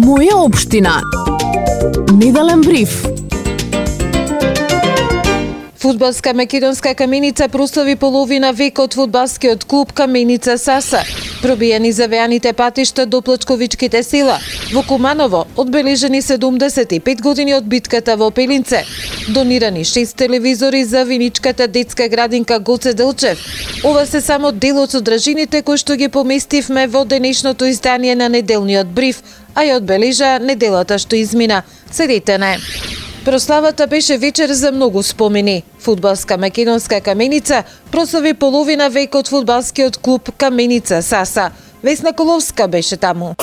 Моја општина. Неделен бриф. Фудбалска македонска Каменица прослави половина век од фудбалскиот клуб Каменица Саса. Пробиени завеаните патишта до плачковичките села. Во Куманово одбележени 75 години од битката во Пелинце. Донирани 6 телевизори за виничката детска градинка Гоце Делчев. Ова се само дел од содржините кои што ги поместивме во денешното издание на неделниот бриф, а ја одбележа неделата што измина. Седете не. Прославата беше вечер за многу спомени. Фудбалска македонска Каменица прослави половина век од фудбалскиот клуб Каменица Саса. Весна Коловска беше таму.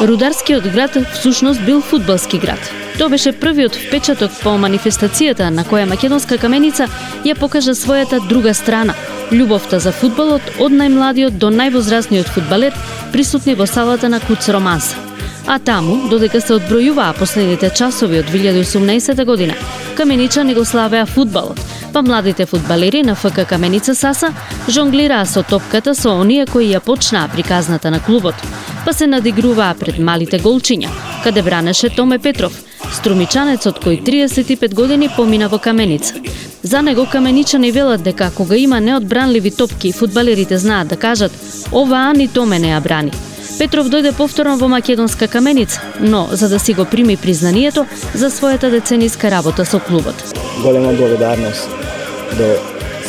Рударскиот град всушност бил фудбалски град. Тоа беше првиот впечаток по манифестацијата на која македонска Каменица ја покажа својата друга страна. Љубовта за фудбалот од најмладиот до највозрастниот фудбалер присутни во салата на Куц Романса. А таму, додека се одбројуваа последните часови од 2018 година, каменичани го славеа фудбалот, па младите фудбалери на ФК Каменица Саса жонглираа со топката со оние кои ја почнаа приказната на клубот, па се надигруваа пред малите голчиња, каде бранеше Томе Петров, струмичанецот кој 35 години помина во Каменица. За него каменичани велат дека кога има неодбранливи топки, фудбалерите знаат да кажат «Оваа ни Томе не ја брани». Петров дојде повторно во македонска Каменица, но за да си го прими признанието за својата децениска работа со клубот. Голема благодарност до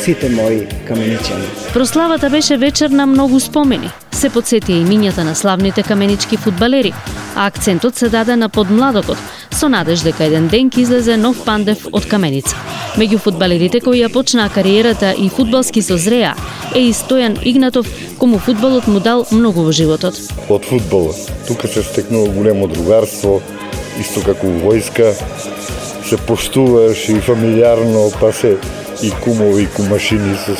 сите мои каменичани. Прославата беше вечер на многу спомени. Се потсетија имињата на славните каменички фудбалери, а акцентот се даде на подмладокот, со надеж дека еден ден ќе излезе нов Пандев од Каменица. Меѓу фудбалерите кои ја почнаа кариерата и фудбалски созреа е и Стојан Игнатов, кому фудбалот му дал многу во животот. Од фудбалот, тука се стекнува големо другарство, исто како во војска, се поштуваш и фамилиарно, па се и кумови и кумашини со.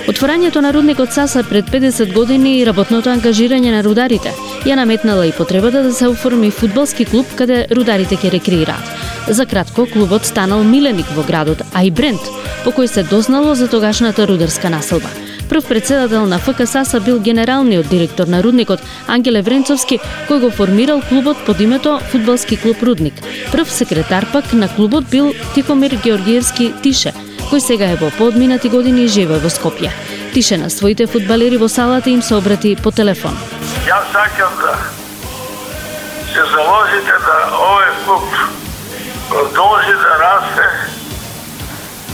Отворањето на рудникот Саса пред 50 години и работното ангажирање на рударите ја наметнала и потребата да се оформи фудбалски клуб каде рударите ќе рекреираат. За кратко, клубот станал миленик во градот, а и бренд, по кој се дознало за тогашната рударска населба. Прв председател на ФК Саса бил генералниот директор на рудникот Ангеле Вренцовски, кој го формирал клубот под името Фудбалски клуб Рудник. Прв секретар пак на клубот бил Тихомир Георгиевски Тише, кој сега е во поодминати години и живее во Скопје. Тише на своите фудбалери во салата им се обрати по телефон. Јас сакам да се заложите да овој клуб продолжи да расте,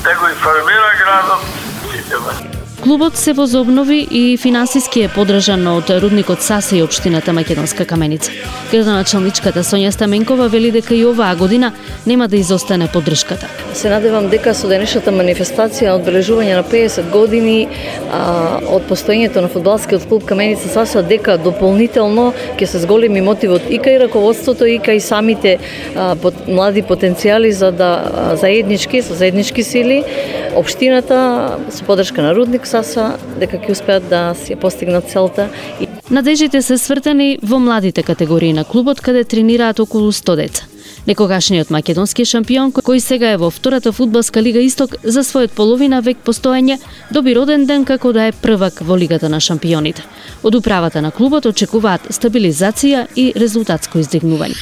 да го информира градот. Клубот се возобнови и финансиски е поддржан од рудникот Саса и општината Македонска Каменица. Градоначалничката Сонја Стаменкова вели дека и оваа година нема да изостане поддршката. Се надевам дека со денешната манифестација одбележување на 50 години од постоењето на фудбалскиот клуб Каменица Саса, дека дополнително ќе се зголеми мотивот и кај раководството и кај самите млади потенцијали за да со заеднички сили општината со поддршка на Рудник Саса дека ќе успеат да си постигнат целта. Надежите се свртени во младите категории на клубот каде тренираат околу 100 деца. Некогашниот македонски шампион, кој сега е во втората фудбалска лига Исток, за својот половина век постоење доби роден ден како да е првак во лигата на шампионите. Од управата на клубот очекуваат стабилизација и резултатско издигнување.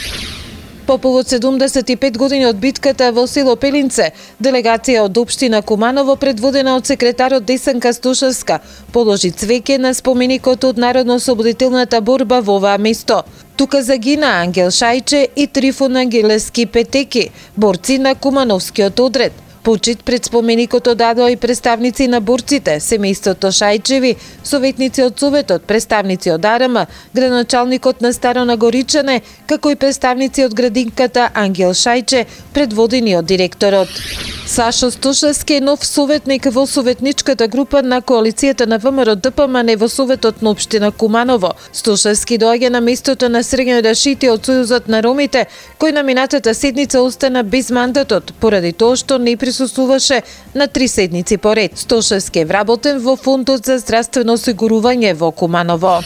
По повод 75 години од битката во село Пелинце, делегација од општина Куманово предводена од секретарот Десанка Стушевска положи цвеќе на споменикот од народно-ослободителната борба во оваа место. Тука загина Ангел Шајче и Трифон Ангелески Петеки, борци на Кумановскиот одред. Почит пред споменикот одадоа и представници на борците, семејството Шајчеви, советници од Советот, представници од АРМ, градоначалникот на Старо Нагоричане, како и представници од градинката Ангел Шајче, предводени од директорот. Сашо Стушевски е нов советник во советничката група на коалицијата на ВМРО ДПМН во Советот на општина Куманово. Стушевски доаѓа на местото на Срđan Рашити од Сојузот на ромите, кој на минатата седница остана без мандатот, поради тоа што не присуствуваше на 3 седници поред. Стушевски е вработен во Фондот за здравствено осигурување во Куманово.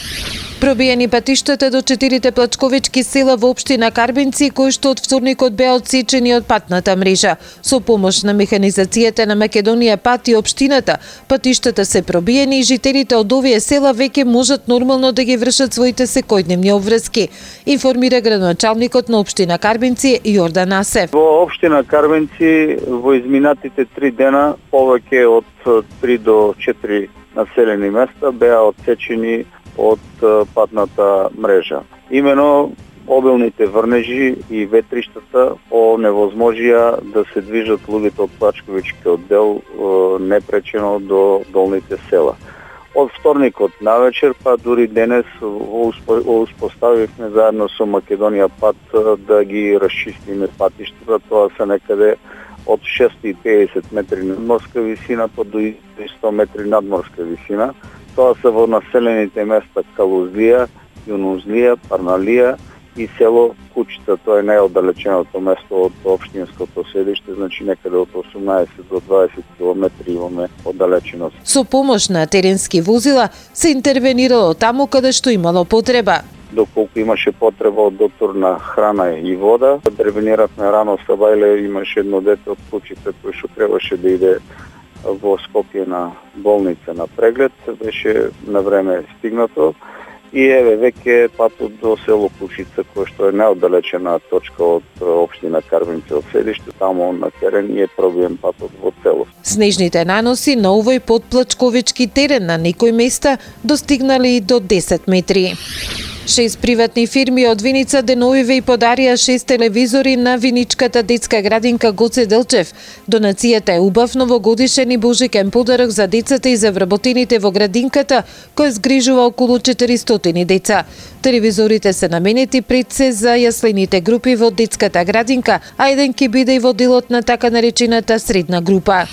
Пробиени патиштата до 4 плачковички села во општина Карбинци, кои што од вторникот беа одсечени од патната мрежа. Со помош на механизацијата на Македонија пат и општината, патиштата се пробиени и жителите од овие села веќе можат нормално да ги вршат своите секојдневни обврски, информира градоначалникот на општина Карбинци Јордан Асев. Во општина Карбинци во изминатите 3 дена повеќе од 3 до 4 населени места беа одсечени од патната мрежа. Имено обилните врнежи и ветриштата оневозможија да се движат луѓето од плачковичкиот дел непречено до долните села. Од вторникот навечер, па дури денес успоставивме заедно со Македонија пат да ги расчистиме патиштата. Тоа се некаде од 650 метри надморска висина па до 100 метри надморска висина. Тоа се во населените места Калузлија, Јунузлија, Парналија и село Кучица. Тоа е најоддалеченото место од општинското седиште, значи некаде од 18 до 20 километри имаме оддалеченост. Со помош на теренски возила се интервенирало таму каде што имало потреба. Доколку имаше потреба од доктор на храна и вода, интервениравме рано сабајле, имаше едно дете од Кучица кој што требаше да иде во Скопје на болница на преглед, беше на време стигнато и еве веќе патот до село Кучица, кој што е најоддалечена точка од општина Карбинци од селиште, таму на терен е пробиен патот во целост. Снежните наноси на овој подплачковички терен на некои места достигнали до 10 метри. 6 приватни фирми од Виница деновиве и подарија 6 телевизори на виничката детска градинка Гоце Делчев. Донацијата е убав новогодишен и божикен подарок за децата и за вработените во градинката, кој згрижува околу 400 деца. Телевизорите се наменети пред се за јаслените групи во детската градинка, а еден ќе биде и во делот на така наречената средна група.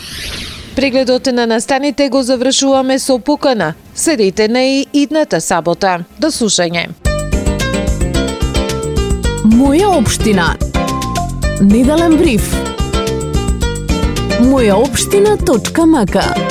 Прегледот на настаните го завршуваме со покана. Следете на и идната сабота. До слушање. Моја општина. Неделен бриф. Мојаопштина.мк